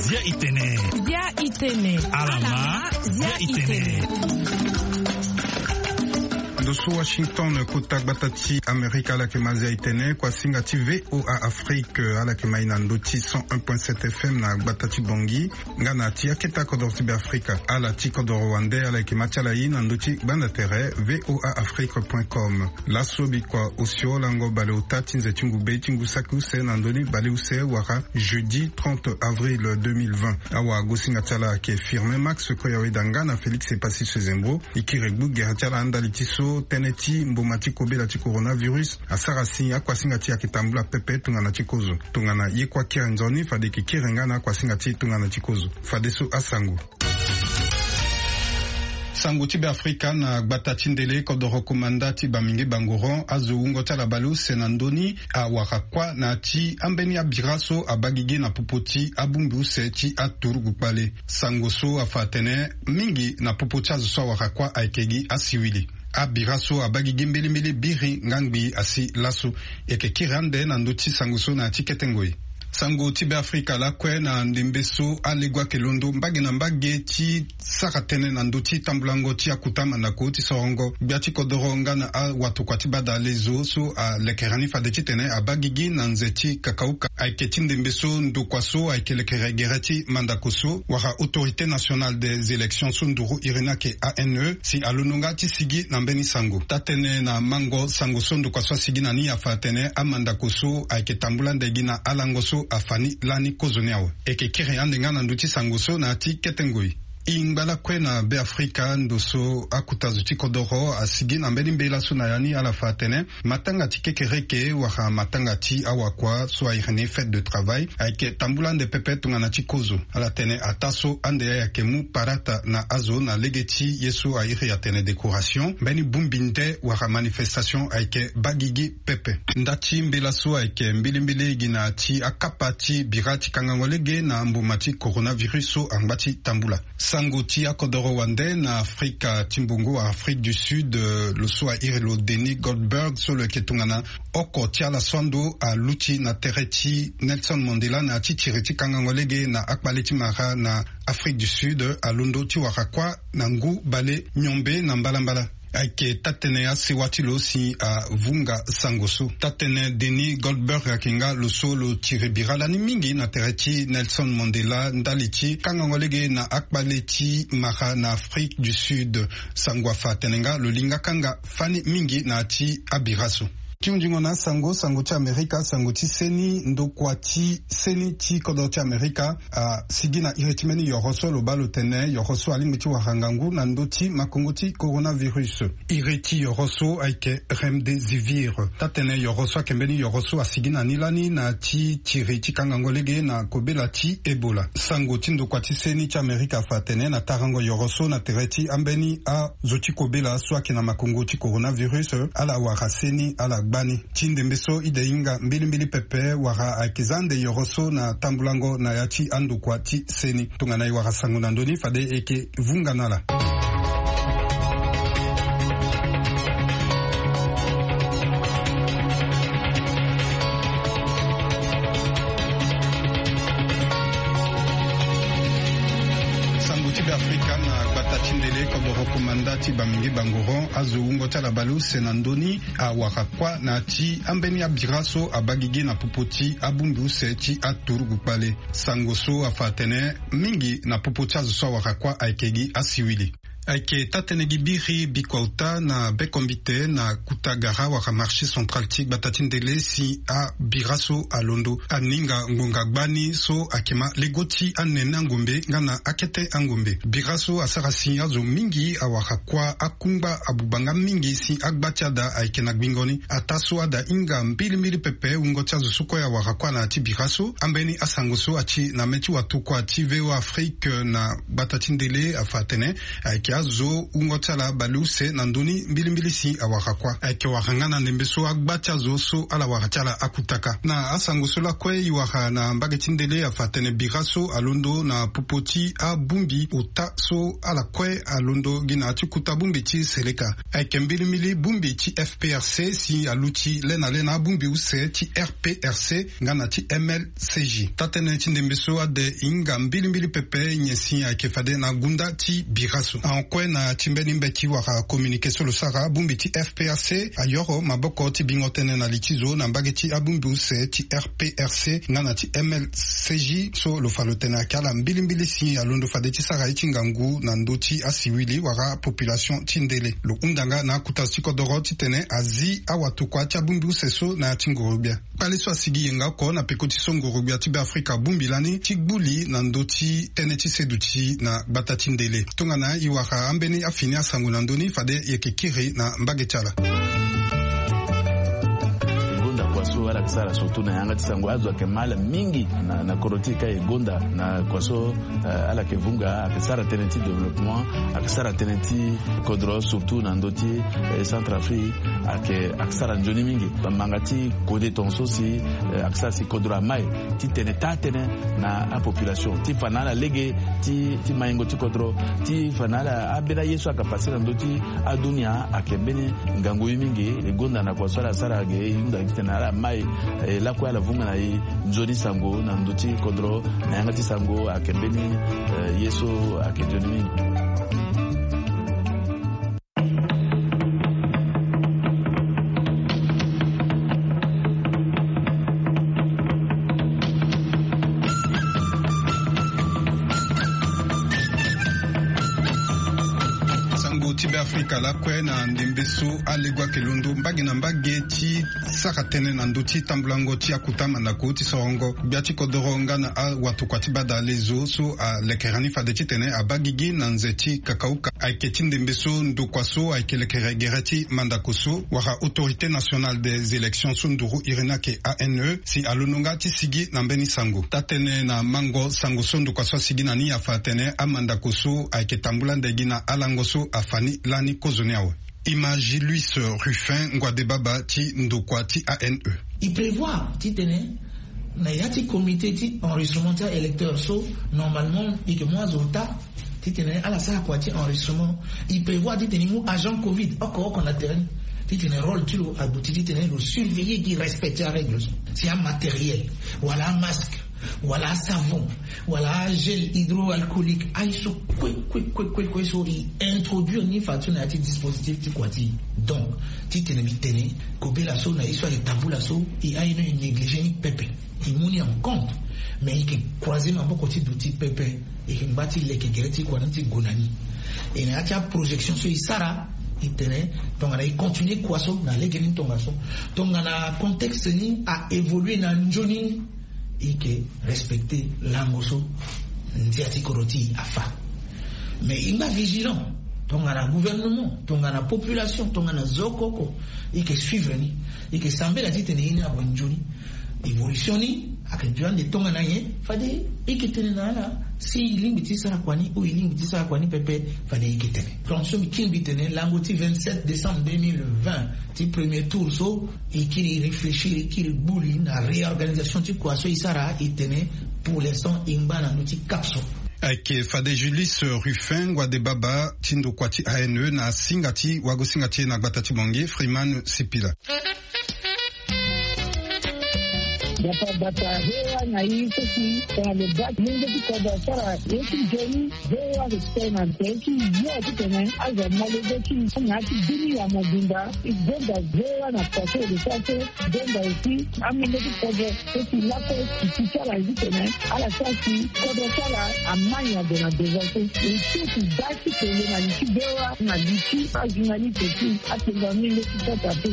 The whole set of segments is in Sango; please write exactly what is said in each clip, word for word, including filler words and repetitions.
Zia itene. Zia itene. Alama. Zia itene. Ndo so Washington, kota gbata ti Amerika, ala yeke ma zia itene. Kuasinga ti VOA Afrique, ala yeke ma i na ndo ti cent un point sept F M na gbata ti Bangui. Nga na ti akete akodoro ti Beafrika, ala ti kodoro wande, ala yeke ma ti ala i na ndo ti gbanda tere voa afrique point com. Laso bikua osio lango baleota ti nze ti ngu be ti ngu saki use na ndoni baleuse wala jeudi trente avril deux mille vingt. Awagosinga ti ala ayeke Firmin Max Koyaweda nga na Félix Epassi Sezembro. E kiri gbu gere ti ala ndali ti so tënë ti mboma ti kobela ti coronavirus asara si akuasinga ti e ayeke tambula pepe tongana ti kozo. Tongana ye kue akiri nzoni, fade e yeke kiri nga na akuasinga ti e tongana ti kozo. Fadeso asango. Sango ti Beafrika na gbata ti ndele, kodoro komanda ti Bamingi Bangoron azo wungo ti ala baleuse na ndö ni awara kuâ na ya ti ambeni abira so abaa gigi na popo ti abongbi use ti aturugu kpale. Sango so afa atene mingi na popo ti azo so awara kuâ ayeke gi asiwili. Abira so abaa gigi mbelimbeli biri nga ngbii asi laso. E yeke kiri ande na ndö ti sango so na ya ti kete ngoi. Sango ti Beafrika lakue na ndembe so alego ayeke londo mbage na mbage ti sara tënë na ndö ti tambulango ti akota mandako ti sorongo gbia ti kodoro nga na awatokua ti badalezo so alekere ni fade titene abaa gigi na nze ti kakauka. Ayeke ti ndembe so ndokua so ayeke lekere gere ti mandako so wala Autorité Nationale des Élections so nduru iri ni ayeke A N E si alondo nga ti sigi na mbeni sango. Taa-tënë na mango sango so ndokua so asigi na ni afa atene amandako so ayeke tambula ande gi na alango so afa ni lani kozo ni awe. E yeke kiri ande nga na ndö ti sango so na ya ti kete ngoi. E ngba lakue na Beafrika, ndo so akota zo ti kodoro asigi na mbeni mbela so na ya ni, ala fa atene matanga ti kekereke wala matanga ti awakua so a iri ni fête de travail ayeke tambula ande pepe tongana ti kozo. Ala tene ataa so ande ayeke mu parata na azo na lege ti ye so a iri atene décoration, mbeni bongbi nde wala manifestation ayeke baa gigi pepe. Nda ti mbela so ayeke mbilimbili gi na ya ti akapa ti bira ti kangango lege na mboma ti coronavirus so angba ti tambula. Sango ti akodoro wande na Afrika ti mbongo, Afrique du Sud, eh, lo so a iri lo Denis Goldberg so lo yeke tongana oko ti ala so ando aluti na tere ti Nelson Mandela na ya ti tiri ti kangango lege na akpale ti mara na Afrique du Sud, eh, alondo ti wara kuâ na ngu bale miombe na mbalambala. Ayeke taa-tënë asewa ti lo si avunga sango so. Taa-tënë Denis Goldberg ayeke nga lo so lo tiri bira lani mingi na tere ti Nelson Mandela ndali ti kangango lege na akpale ti mara na Afrique du Sud. Sango afa atene nga lo lingaka nga fani mingi na ya ti abira so. Ti hunzingo na asango, sango ti Amerika, sango ti seni, ndokua ti seni ti kodro ti Amerika asigi na iri ti mbeni yoro so lo baa lo tene yoro so alingbi ti wara ngangu na ndö ti makongo ti coronavirus. Iri ti yoro so ayeke remdesivir. Taa-tënë yoro so ayeke mbeni yoro so asigi na ni lani na ya ti tiri ti kangango lege na kobela ti Ebola. Sango ti ndokua ti seni ti Amerika afa atene na tarango yoro so na tere ti ambeni a zo ti kobela so ayeke na makongo ti coronavirus, ala wara seni, ala gba ni. Ti ndembe so e de hinga mbilimbili pepe wala ayeke za ande yoro so na tambulango na ya ti andokua ti seni. Tongana e wara sango na ndö ni, fade e yeke vunga na ala. Sango ti Beafrika na gbata ti ndele, kodoro komanda ti Bamingi Bangoron azo wungo ti ala baleuse na ndö ni awara kuâ na ya ti ambeni abira so abaa gigi na popo ti abongbi use ti aturugu kpale. Sango so afa atene mingi na popo ti azo so awara kuâ ayeke gi asiwili. Ayeke taa-tënë gi biri bikua ota na bekombite na kota gara wala marché central ti gbata ti ndele si abira so alondo aninga ngonga gbani so ayeke ma lego ti anene angombe nga na akete angombe. Bira so asara si azo mingi awara kuâ, akungba abuba nga mingi si agba ti ada ayeke na gbingo ni. Ataa so ada hinga mbilimbili pepe wungo ti azo so kue awara kuâ na ya ti bira so. Ambeni asango so ati na mê ti watokua ti VOA Afrique na gbata ti ndele afa atene ayeke Azo wungo ti ala baleuse na ndö ni mbilimbili si awara kuâ. Ayeke wara nga na ndembe so agba ti azo so ala wara ti ala akutaka. Na asango so lakue e wara na mbage ti ndele afa atene bira so alondo na popo ti abongbi ota so ala kue alondo gi na ya ti kuta bongbi ti seleka. Ayeke mbilimbili bongbi ti F P R C si aluti le na le na abongbi use ti R P R C nga na ti M L C J. Taa-tënë ti ndembe so ade hinga mbilimbili pepe nyen si ayeke fade na gunda ti bira so. Ahon kue na ti mbeni mbeti wala communiqué so lo sara, bongbi ti F P R C ayoro maboko ti bingo tënë na li ti zo na mbage ti abongbi use ti R P R C nga na ti M L C J so lo fa lo tene ayeke ala mbilimbili si alondo fade ti sara ye ti ngangu na ndö ti asiwili wala population ti ndele. Lo hunda nga na akota zo ti kodoro titene azi awatokua ti abongbi use so na ya ti nguru-gbia. Kpale so asigi yenga oko na peko ti so nguru-gbia ti Beafrika abongbi lani ti gbu li na ndö ti tënë ti seduti na gbata ti ndele. Tongana e wara ambeni afini asango na ndö ni fade e yeke kiri na mbage ti ala. E gonda kua so ala yeke sara surtout na yanga ti sango, azo ayeke mä ala mingi na, na kodro ti e ka e gonda na kua so, eh, ala yeke vunga, ayeke sara tënë ti développement, ayeke sara tënë ti kodro surtout na ndö ti, eh, Centrafrique, ayeke, ayeke sara nzoni mingi. Bamanga ti kode tongaso si, eh, ayeke sara si kodro amai titene taa-tënë na apopulation ti fa na ala lege ti, ti maingo ti kodro, ti fa na ala ambeni aye so ayeke pase na ndö ti adunia ayeke mbeni ngangu ye mingi. E gonda na kua so ala sara ge e hunda titene ala mai, eh, lakue ala vunga na e nzoni sango na ndö ti kodro na yanga ti sango ayeke mbeni, eh, ye so ayeke nzoni mingi. Sango ti Beafrika lakue na ndembe so alego ayeke londo mbage na mbage ti sara tënë na ndö ti tambulango ti akuta mandako ti sorongo gbia ti kodoro nga na awatokua ti badalezo so alekere ni fade titene abaa gigi na nze ti kakauka. Ayeke ti ndembe so ndokua so ayeke lekere gere ti mandako so wala Autorité Nationale des Élections so nduru iri ni ayeke A N E si alondo nga ti sigi na mbeni sango. Taa-tënë na mango sango so ndokua so asigi na ni afa atene amandako so ayeke tambula nde gi na alango so afa ni lani kozoni awe. Image Luis Ruffin, ngua de baba ti ndokua ti A N E. E prévoir titene na ya ti comité ti enregistrement ti a-électeur so, normalement e yeke mu azo ota titene ala sara kua ti enregistrement. E prévoir titene e mu agent covid oko oko na terrain titene rôle ti lo aduti titene lo surveiller gi respect ti arègle so. Si amatériel wala amasque wala asavon wala agel hydroalcoolique, aye so kue kue kue kue kue so e introduire ni fadeso na ya ti dispositif ti kua ti e. Donc titene mbi tene kobela so na ye so ayeke tambula so, e aye ni e néglige ni pepe. E mu ni en compte. Mais e yeke croiser maboko ti duti pepe. E yeke ngba ti leke gere ti kua ni ti gue na ni. E na ya ti aprojection so e sara, e tene tongana e continuer kua so na lege ni tongaso, tongana contexte ni a évoluer na nzoni, e yeke respecter lango so ndia ti kodro ti e afa. Mais e ngba vigilant, tongana gouvernement, tongana population, tongana zo oko oko, e yeke suivre ni. E yeke sambela titene ye ni ague nzoni. Évolution ni ayeke duti ande tongana nyen, fade e yeke tene na ala si e lingbi ti sara kua ni ou e lingbi ti sara kua ni pepe, fade e yeke tene. Donc so mbi kiri mbi tene lango ti vingt-sept décembre deux mille vingt ti premier tour so, e kiri e réfléchir, e kiri gbu li na réorganisation ti kua so e sara, e tene pour l'instant e ngba na ndö ti cap so. Ayeke fade Julius Ruffin, ngua de baba ti ndokua ti A N E, na singa ti wagosinga ti e na gbata ti Bangui, Freeman Sipila. Gbata gbata, V O A na e so si tongana lo baa ti lenge ti kodro asara ye ti nzoni, V O A respect na tere ti yo titene azo amolenge ti na ya ti bini ya mobimba. E gonda V O A na kua so e lo sara so, gonda aussi amolenge ti kodro so si lakue ti ti ti ala ye titene ala sara si kodro ti ala amai ade na devant so. E so ti baa ti tene na li ti V O A na li ti ajournaliste ti atenga amolenge ti kota pe.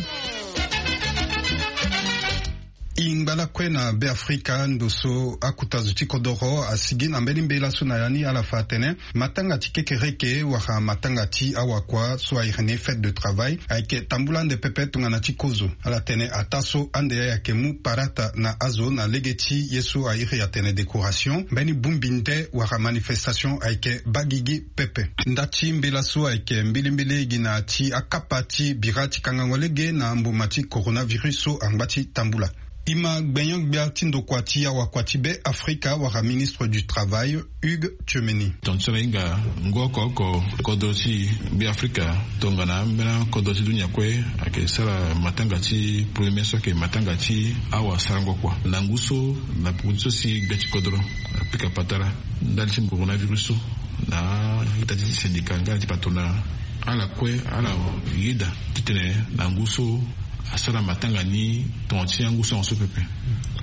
Ingba lakue na Beafrika, ndo so akuta zo ti kodoro asigi na mbeni mbela so na ya ni, ala fa atene matanga ti kekereke wala matanga ti awakua so airi ni fête de travail ayeke tambula ande pepe tongana ti kozo. Ala tene ataa so ande ayeke mu parata na azo na lege ti ye so airi atene décoration, mbeni bongbi nde wala manifestation ayeke baa gigi pepe. Nda ti mbela so ayeke mbilimbili gi na ya ti akapa ti bira ti kangango lege na mboma ti coronavirus so angba ti tambula. E ma gbenyo-gbia ti ndokua ti awakua ti Beafrika wala ministre du travail, Hugues Tchemeni. Tonga ti so ala hinga ngu oko oko kodro ti Beafrika tongana ambeni kodro ti dunia kue ayeke sara matanga ti premier mai so ayeke matanga ti awa sarango kua. Na ngu so na poko ti so si gbia ti kodro apika patara ndali ti coronavirus so na ita ti syndicat nga na ti patronat, ala kue ala yeda titene na ngu so asara matanga ni tonga ti angu so ango so pepe.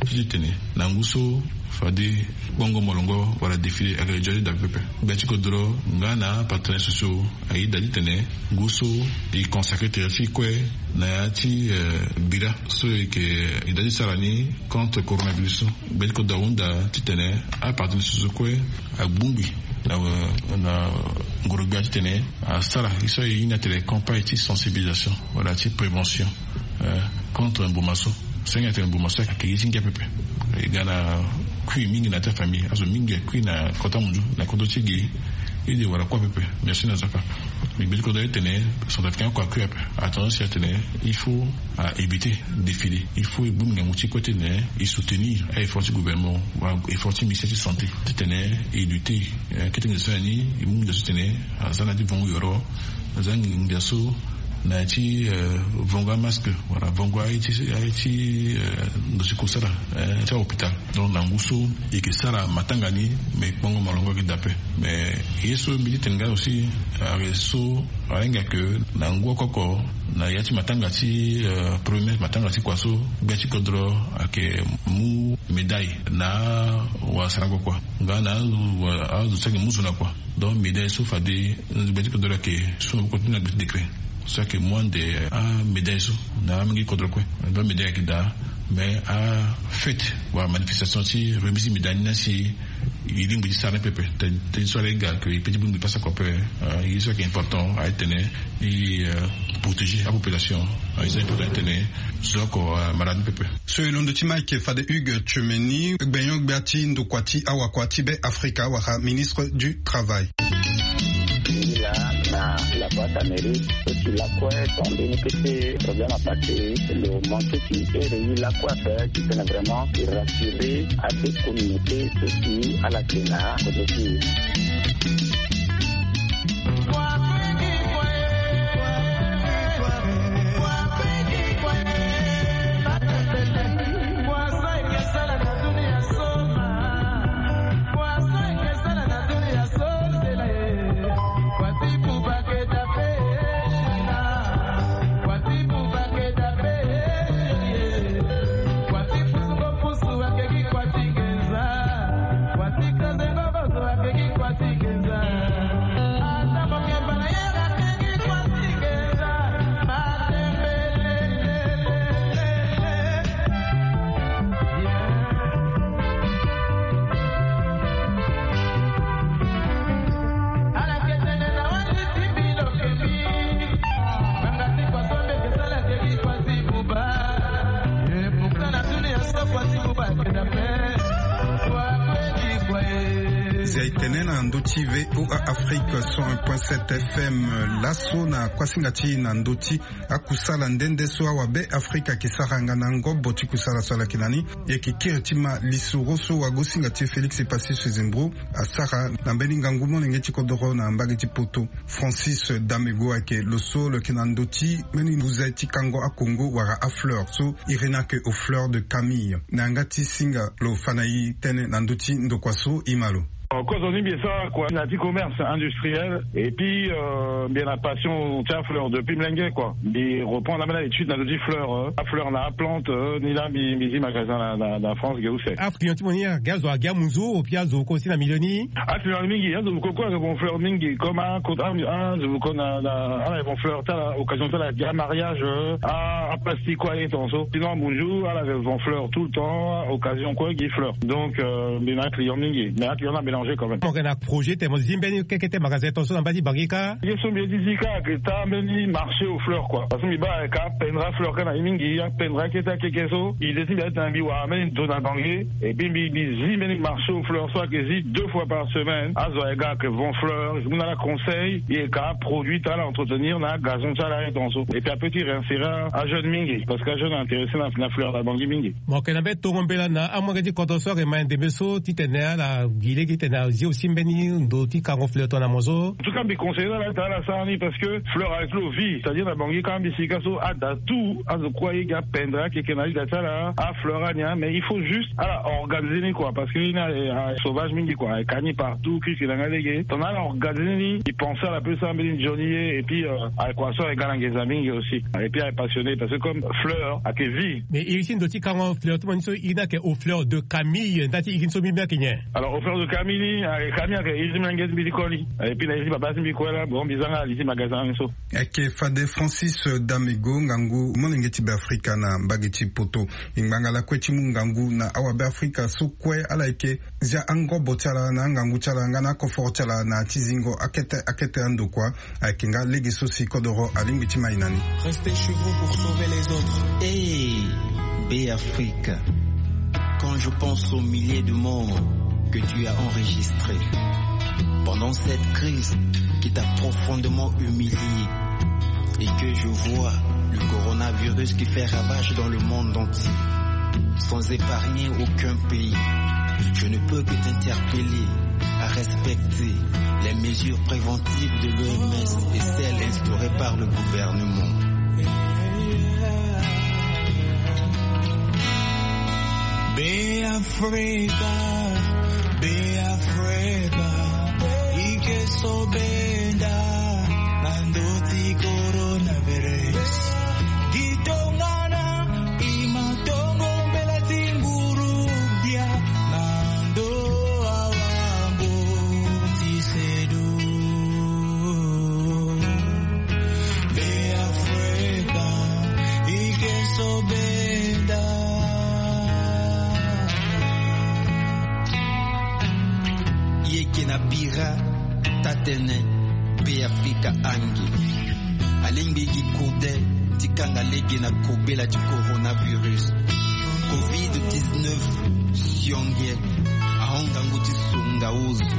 Ti titene na ngu so fade kpongo molongo wala défilé ayeke joli daa pepe. Gbia ti kodro nga na partenaire sociaux ayeda titene ngu so e consacré tere ti e kue na ya ti, eh, bira so e yeke, e yeda ti sara ni contre coronavirus so. Gbia ti kodro ahunda titene apartenaire sociaux kue abongbi na, na ngoro-gbia titene asara ye so aye ni atene campagne ti sensibilisation wala ti prévention, eh, contre mboma so. Senge atene mboma so ayeke ye ti ngia pepe. E ga na kui mingi na ya ti afamille, azo mingi akui na kota munzu na kodro ti e ge. Ede wala kuâ pepe. Merci na zaka. Mais gbia ti kodro aye tene centrafricain oko akui ape. Attention si atene il faut a éviter défilé. Il faut e bongbi ngangu ti kue titene e soutenir a effort ti gouvernement wala effort ti ministère ti santé titene e lutter, eh, kete nginza so na ni. E mu nginza so titene aza na ya ti vongo yoro, aza nginza so na ya ti, eh, vongo amasque wala vongo aye ti, aye ti, eh, ndo ti kusala, eh, ti ahôpital. Donc na ngu so e yeke sara matanga ni, mais kpongo molongo ayeke daa ape. Mais ye so mbi ti tene nga aussi, ayeke so ahinga ke na ngu oko oko na ya ti matanga ti, eh, premier matanga ti kua so, gbia ti kodro ayeke mu médaille na wasarango kua nga na azo, azo so ayeke mu zo na kua. Donc médaille so fade gbia ti kodro ayeke so maboko ti na gbia ti décret so ayeke mu ande amédaille so na amolenge ti kodro kue. Donc médaille ayeke daa, mais afête wala manifestation ti remise médaille ni na si e lingbi ti sara ni pepe. Tënë so ala hinga ke e peut ti bongbi pasa kua ape. Eh, ye so ayeke important aye tene e, eh, protéger apopulation. Eh, ye so important aye tene zo oko, eh, amara ni pepe. So e londo ti Mike fade Hugues Tchemeni, gbenyo-gbia ti ndokua ti awakua ti Beafrika wala ministre du travail. Ila na la boîte à mérite, so ti lakue, ton mbeni kete problème à passer, lo manqué ti ere i lakue ape, ti tene vraiment i rassurer a deux communautés so ti ala yeke na kodro ti e. Zia e tene na ndö ti V O A Afrique cent un point sept F M. Laso na kuasinga ti e na ndö ti akusala nde nde so awabe Afrika ayeke sara nga na ngobo ti kusala so ala yeke na ni. E yeke kiri ti ma lisoro so wagosinga ti e Félix Passy Sezembro asara na mbeni ngangu molenge ti kodoro na mbage ti poto. Francis Damego ayeke lo so lo yeke na ndö ti mbeni mbuze ti kango akongo wala afleur so iri ni ayeke au fleur de camille. Na yanga ti singa lo fa na e tënë na ndö ti ndokua so, e ma lo. Kozo ni mbi sara kua na ti commerce industriel. Et puis mbi na passion ti afleur depuis mlenge kua. Mbi reprendre ambeni na étude na ndö ti fleur, afleur na aplante. Ni laa mbi zi magasin na france ge use. Aclient ti mo ni agi azo agi amunzu opi azo ko si na milieu ni? Aclient mingi azo ko ko agi bon fleur mingi comme akota azo ko na ala bon fleur ti ala occasion ti ala agi amariage, aplastique kua aye ton so sinon amunzu ala agi bon fleur tout le temps occasion kua gi fleur. Donc mbi na aclient mingi mais aclient na mélanger quand même. Mo yeke na projet te mo zi mbeni keke te magasin ton so na mba ti bangi kâ? Ye so mbi ye ti zi kâ ake ta mbeni marché au fleur kua parce que mbi baa aka pendra fleur kâ na ye mingi apendra kete akeke so ide ti mbi atena mbi wara mbeni ndo na bangi. Et puis mbi zi mbeni marché au fleur so ake zi deux fois par semaine azo aye ga ake vend fleur e mu na ala conseil e ka produit ti ala entretenir na agazon ti ala aye ton so. Et puis ape ti réinsérer ajeune mingi parce que ajeune intéressé na fleur na bangi mingi. Mo yeke na mbeni tongo mbela na amolenge ti kodro so ake ma ndembe so titene ala gi lege titene azi aussi mbeni ndo ti kango fleur tongana mo so. En tout cas mbi conseiller na ala ti ala sara ni parce que fleur avec lo vie c'est à dire na bangi kâ mbi sika so ada tout azo kue aye gi apendre akeke na liga ti ala afleur ani. Mais il faut juste ala organiser ni kua parce que ni ni aye sauvage mingi kua aye ka ni partout kiki na nga lege tongana ala organiser ni e pense ala pe sara mbeni nzoni ye et puis aye kua so aye ga na nginza mingi aussi. Et puis aye passionné parce que comme fleur ake vie. Mais iri ti ndo ti kango fleur ti mo ni so iri ni ake au fleur de camille nda ti iri ni so mbi mbi ake nyen? Alors au fleur de camille ni ake camille ake iri ti mlenge ti mbi ti koli. Et puis na iri ti babâ ti mbi kue laa bon mbi za nga ali ti magasin ni so. Eke fade francis damego ngangu molenge ti beafrika na mbage ti poto. E ngbanga lakue ti mu ngangu na awabeafrika so kue ala yeke zia angobo ti ala na angangu ti ala nga na akoforo ti ala na ya ti zingo akete akete andokua. Ayeke nga lege so si kodoro alingbi ti mai na ni. Restez chez vous pour sauver les autres. Hey, Beafrika, quand je pense aux milliers de morts que tu as enregistrés pendant cette crise qui t'a profondément humilié et que je vois le coronavirus qui fait ravage dans le monde entier, sans épargner aucun pays, je ne peux que t'interpeller à respecter les mesures préventives de l'O M S et celles instaurées par le gouvernement. Beafrika, Beafrika, ike so benda na ndo ti coronavirus. Gi tongana i ma tongo mbela ti nguru gbia na ndo awango ti sedu. Beafrika, ike so benda. Yeke na bira tatene Beafrika ange alingbi gi kode ti kanga lege na kobela ti coronavirus. Covid dix-neuf sionge ahon ngangu ti songa ozo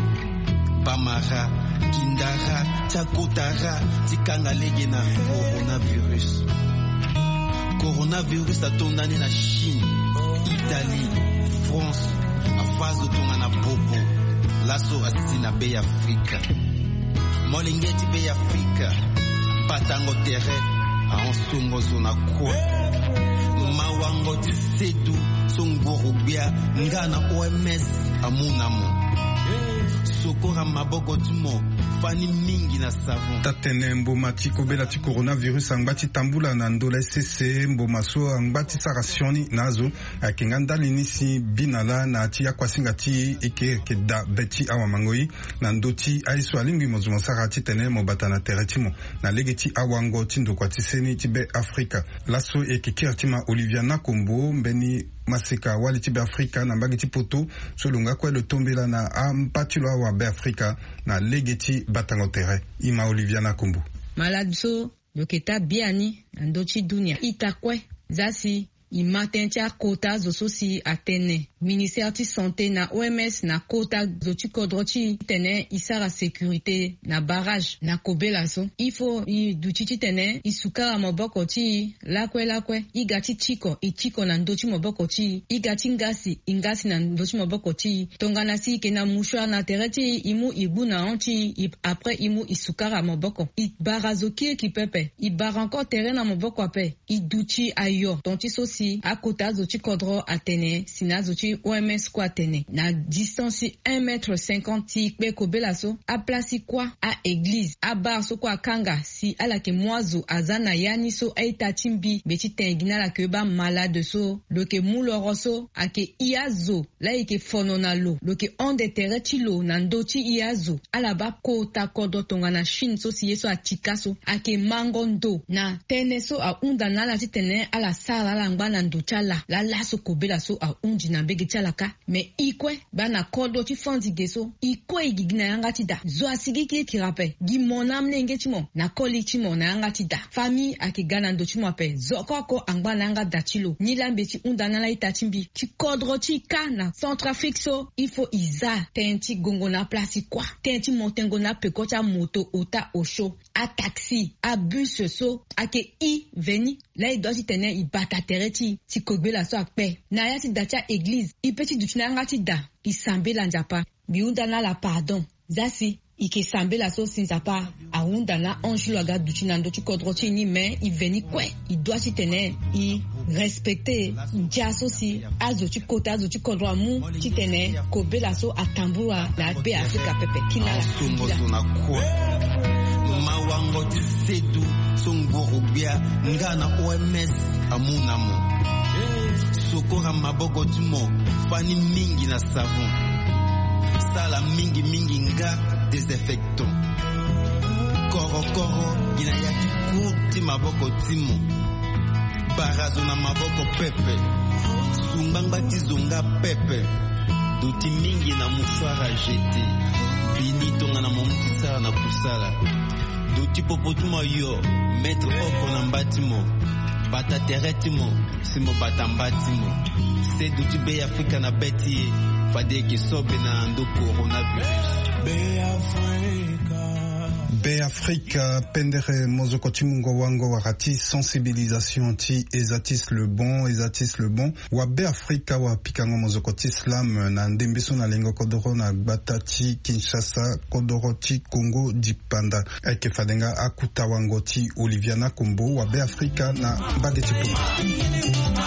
bamara kindara ti akotara ti kanga lege na coronavirus. Coronavirus atonda ni na Chine, Italie, France, afa azo tongana bobo. Laso asi na Beafrika. Molenge ti Beafrika, batango tere ahon songo zo na kue. Mawango ti sedu so nguru gbia nga na O M S amu na mo. Sokora maboko ti mo fani mingi na savon. Tatene mboma ti kobela ti coronavirus angba ti tambula na ndö la sese mboma so angba ti sara sioni na azo. Ayeke nga ndali ni si bina laa na ya ti akuasinga ti e eke eke daa be ti awamangoi na ndö ti aye so alingbi mo zo mo sara titene mo bata na tere ti mo na lege ti awango ti ndokua ti seni ti Beafrika. Laso e yeke kiri ti ma Olivia Nakombo mbeni maseka wali ti Beafrika na mbage ti poto so lo nga kue lo tombela na amba ti lo awabeafrika na lege ti batango tere. E ma Olivia Nakombo. Malade so lo yeke taa biani na ndö ti dunia ita kue. Za si e ma tënë ti akota zo so si atene ministère ti santé na O M S na kota zo ti kodro ti e titene e sara sécurité na barrage na kobela so. Il faut e duti titene e sukara maboko ti e lakue lakue. E ga ti tiko e tiko na ndö ti maboko ti e. E ga ti ngasi e ngasi na ndö ti maboko ti e. Tongana si e yeke na mouchoir na tere ti e e mu e gbu na hon ti e. Après e mu e sukara maboko e bara zo kirikiri pepe. E bara encore tere na maboko ape. E duti ayo ton ti so si Akota azo ti kodro atene si na azo ti oms kue atene na distance ti un mètre cinquante ti kpe kobela so, aplace ti kuâ, a-eglize, abar so kue akanga si ala yeke mu azo aza na ya ni so a-ita ti mbi. Mbi ti tene gi na ala ke baa malade so lo yeke mu loro so ayeke i azo laa e yeke fono na lo, lo yeke hon de tere ti lo na ndö ti i azo. Ala baa kota kodro tongana Chine so si ye so atika so ayeke mango ndo na tënë so ahunda na ala titene ala sara ala ngba na ndo ti ala. Laa laso kobela so ahundi na mbege ti ala kâ. Me i kue baa na kodro ti fandi ge so, i kue i gigi na yanga ti da. Zo asigiki kiri ape. Gi mo na amolenge ti mo na koli ti mo na yanga ti da. Famille ayeke ga na ndo ti mo ape. Zo oko oko angba na yanga da ti lo. Nilaa mbi ti hunda na ala ita ti mbi ti kodro ti i kâ na Centrafrique so, il faut i za tënë ti gongo na aplace ti kuâ, tënë ti mo tengo na apeko ti amoto, ota, osio, ataxi, abus so ayeke i veni. Laa e dua titene e bata tere ti e si kobela so akpe na ya ti da ti a-eglize, e pe ti duti na yanga ti da, e sambela Nzapa. Mbi hunda na ala pardon. Za si e yeke sambela so si Nzapa ahunda na ange ti lo aga duti na ndö ti kodro ti e ni, me e veni kue. E dua titene e respecte ndia so si azo ti kota azo ti kodro amu titene kobela so atambula na Beafrika pepe. Kina ala songo so na kue. Mawango ti sedu so nguru gbia nga na oms amu na mo. Sokora maboko ti mo fani mingi na savon. Sala mingi mingi nga désinfectant. Korokoro gi na ya ti cour ti maboko ti mo. Bara zo na maboko pepe. Su ngbangba ti zo nga pepe. Duti mingi na mouchoir à jeter. Bini tongana mo mu ti sara na kusala. Duti popo ti mo yo, mettre oko na mba ti mo. Bata tere ti mo si mo bata mba ti mo. Sedu ti Beafrika na be ti e, fade e yeke so be na ndo coronavirus. Beafrika, pendere mozoko ti mungo wango wala ti sensibilisation ti Esatis le bon, Esatis le bon. Wa Beafrika wa pikango mozoko ti slam na ndembe so na lengo kodoro na gbata ti Kinshasa, kodoro ti Congo dipanda. Ayeke fade nga akuta wango ti Olivia Nakombo, wa Beafrika na mbage ti poto.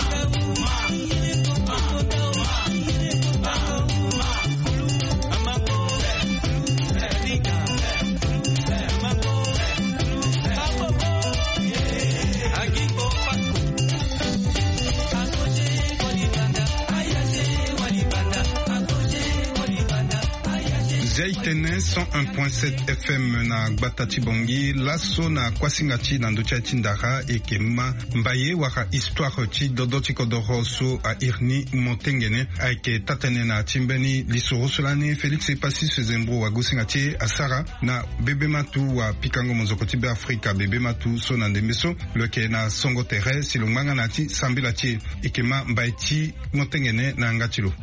Zia e tene cent un point sept F M na gbata ti Bangui. Laso na kuasinga ti na ndö ti aye ti ndara e yeke ma mbaye wala histoire ti dodo ti kodoro so a iri ni Motengene. Ayeke taa-tënë na ti mbeni lisoro so lani Félix Epassis Zembro, wagosinga ti e, asara na Bebe Matou, wa pikango mozoko ti Beafrika. Bebe Matou so na ndembe so lo yeke na songo tere si lo ngba nga na ya ti sambela ti e. E yeke ma mbaye ti Motengene na yanga ti lo.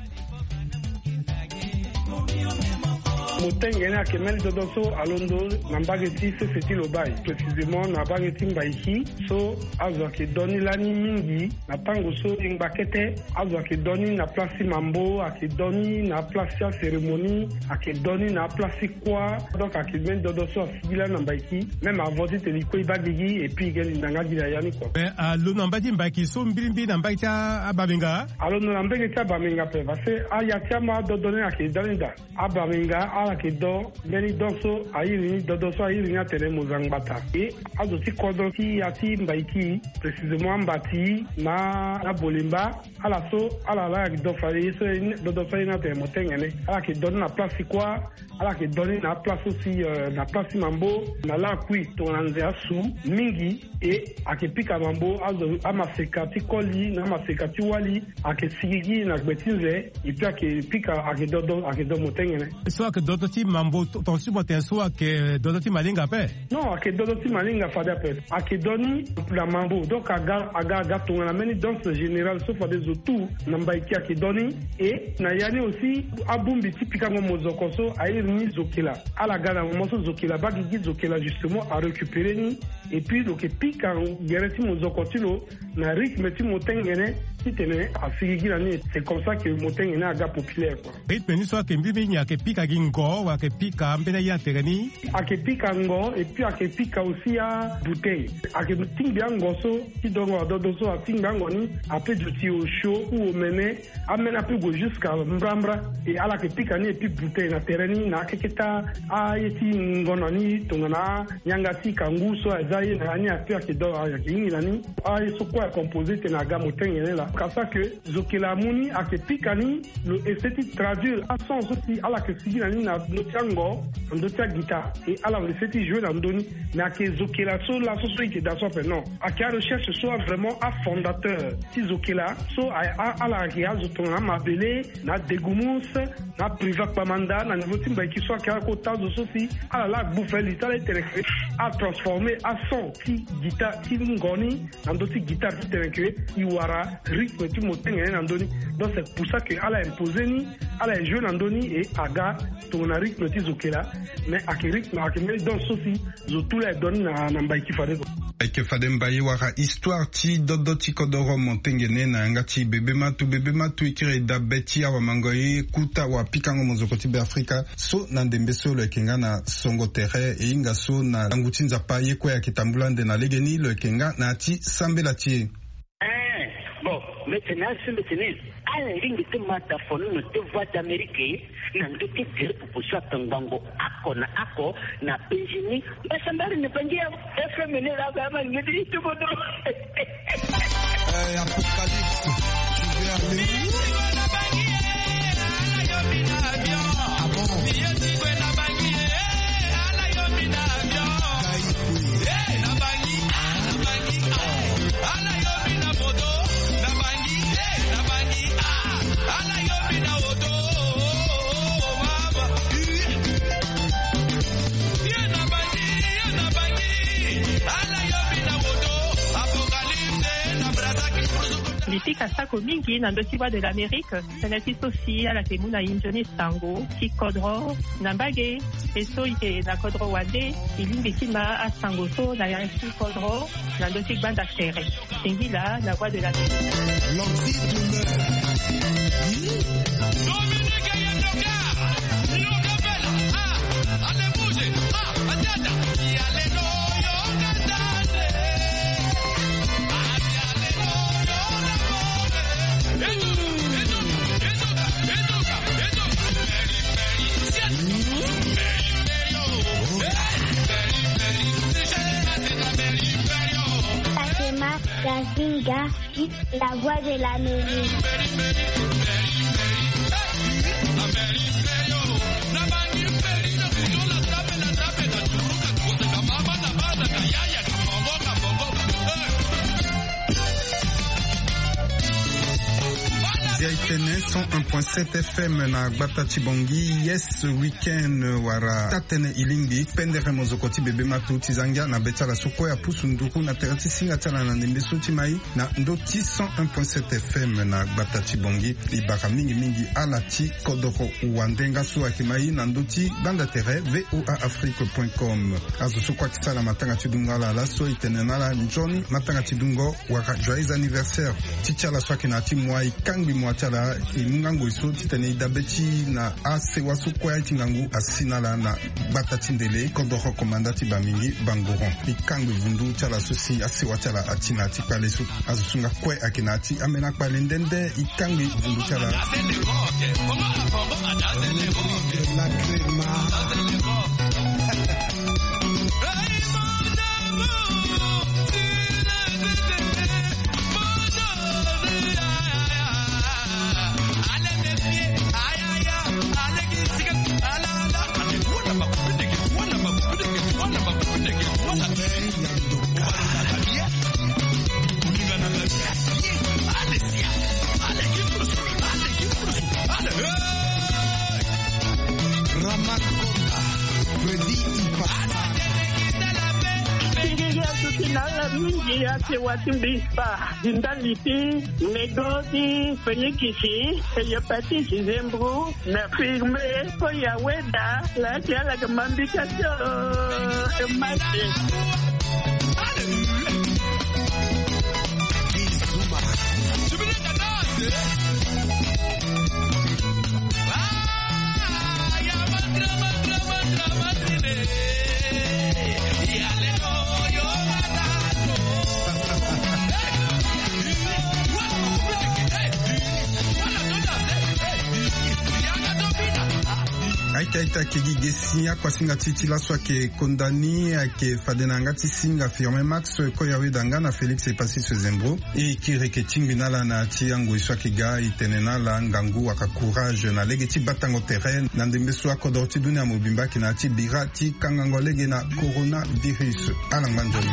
Motengene ayeke mbeni dodo so alondo na mbage ti sese ti Lobaye, précisément na mbage ti Mbaiki, so azo ayeke do ni lani mingi na tango so e ngba kete. Azo ayeke do ni na place ti mambo, ayeke do ni na place ti acérémonie, ayeke do ni na place ti kuâ. Donc ayeke mbeni dodo so asigbi lani na Mbaiki. Même avant titene e kue e baa gigi, et puis e ge linda nga gi na ya ni kua. Mais alondo na mbage ti Mbaiki so mbirimbiri na mbage ti a-, abamenga? Alondo na mbage ti abamenga ape, parce que aya ti ama adodo ni ayeke dani daa. Abamenga ala yeke do mbeni don so a iri ni, dodo so a iri ni atene Mozangbata. E azo ti kodro ti ya ti Mbaiki, précisément Ambati na Abolemba, ala so ala laa ayeke do fade ye so, dodo so a iri ni atene Motengene. Ala yeke do ni na place ti kuâ, ala yeke do ni na aplace aussi, euh, na place ti mambo, na lakui tongana nze asu mingi. E ayeke pika mambo, azo, amaseka ti koli na amaseka ti wali ayeke sigigi na gbe ti nze. E puis ayeke pika, ayeke do, do, ayeke do Motengene. So ayeke dodo ti mambo, ton, ton ti mo tene so ayeke dodo ti malinga ape? Non, ayeke dodo ti malinga fade ape. Ayeke do ni na mambo, donc aga, aga, aga tongana mbeni danse générale so fade zo tout na Mbaiki ayeke do ni. E na ya ni aussi, abongbi ti pikango mozoko so a iri ni zokela. Ala ga na moment so zokela baa gigi, zokela justement arécupéré ni. Et puis lo yeke pika gere ti mozoko ti lo na rythme ti Motengene, titene asigigi na ni. C'est comme ça que Motengene aga populaire, quoi. Rythme ni so ayeke mbirimbiri ni ayeke pika gi ngo. Ngo wala ayeke pika ambeni aye na tere ni. Ayeke pika ngo et puis ayeke pika aussi abouteille. Ayeke tingbi ango so ti dongo adodo so atingbi ango ni. Ape duti osio ou omene. Ameni ape gue jusqu'à mbrambra. E ala yeke pika ni et puis bouteille na tere ni na akeketa aye ti ngono ni tongana anyanga ti kangu so aza ye na ya ni ape ayeke do ayeke hingi na ni. Aye so kue acompose tene aga motengene laa kasa ke zokela amu ni ayeke pika ni. Lo essaie ti traduire ason so si ala yeke sigi na ni na ndö ti ango na ndö ti aguitare. E ala lo essaie ti jouer na ndö ni. Mais ayeke zokela so laso so e yeke daa so ape non. Ayeke arecherche so avraimont afondateur ti zokela so ala ayeke azo tongana amabele na adegumus na apriva kpamanda na niveau ti mbaiki so ayeke ala kota azo so si ala laa agbu fali ti ala ti tene ke atransforme ason ti guitare ti ngo ni na ndö ti guitare ti tene ke e wara rythme ti motengene na ndö ni. Donc c'est pour ça ke ala impose ni. Ala e jouer na ndö ni e aga tongana rythme ti zokela. Mais ayeke rythme ayeke mbeni danse so si zo tu laa e donne na na mbai ti fade ko. Ayeke fade mbai wala histoire ti dodo ti kodoro motengene na yanga ti bebe matu bebe matu e kiri e dabe ti awamango ye kuta wapikango mozoko ti beafrika so na ndembe so lo yeke nga na songo tere e hinga so na langu ti nzapa ye kue ayeke tambula ande na legeni lo yeke nga na ya ti sambela ti e. Eh, bon, mete na asu mete ni. Ala lingbi ti mata fono na te voix d'amérique na ndö ti dire proposition atongbango ako na ako na benjini. Mbasa mbari na bangi ya fm ni la ga ma ngedi itubodo. Eh, apocalypse. Tu veux aller où? Ah bon? Lipika sako mingi na ndö ti voix de l'amérique. Tënë ti so si ala yeke mu na e nzoni sango ti kodro na mbage. E so e yeke na kodro wande e lingbi ti ma asango so na yanga ti kodro na ndö ti gbanda tere. Singila na voix de l'amérique. Akema Gazinga, la voix de l'Amérique. Zia e tene cent un point sept F M na gbata ti Bangui. Yes, week-end wala taa-tënë e lingbi pendere mozoko ti bebe matu ti za ngia na be ti ala so kue apusu nduku na tere ti singa ti ala na ndembe so ti mai na ndö ti cent un point sept F M na gbata ti Bangui. E bara mingi mingi ala ti kodoro wandenga so ayeke mai na ndö ti gbanda tere V O A Afrique point com. Azo so kue ayeke sara matanga ti dungo ala laso e tene na ala nzoni matanga ti dungo wala joyeux anniversaire. Ti ti ala so ayeke na ya ti moi e kangbi moi ti ala e mu nga ngoi so titene e dabe ti na asewa so kue ti ngangu asi na ala na gbata ti ndele kodoro komanda ti Bamingi Bangoron. E kangbi vundu ti ala so si asewa ti ala ati na ya ti kpale so. Azo so nga kue ayeke na ya ti ambeni akpale nde nde e kangbi vundu ti ala. Ramakonda, Freddy Ipasa. Tingiri asuti na ala mingi asewa ti mbi spa. Dinda liti, nego ti fenikisi, hepatite, zembro, na firme, ko ya weda, la ti ala ke mambika so, e mate. Tete ake gi ge si akuasinga ti ti laso ake konda ni ake fade na yanga ti singa Firmin Max, koya weda nga na Félix Epasis Zembro. E kiri eke tingbi na ala na ti angoi so ake ga, e tene na ala ngangu waka courage na lege ti batango tere na ndembe so akodoro ti dunia mobimba ake na ya ti bira ti kangango lege na coronavirus. Ala ngba nzoni.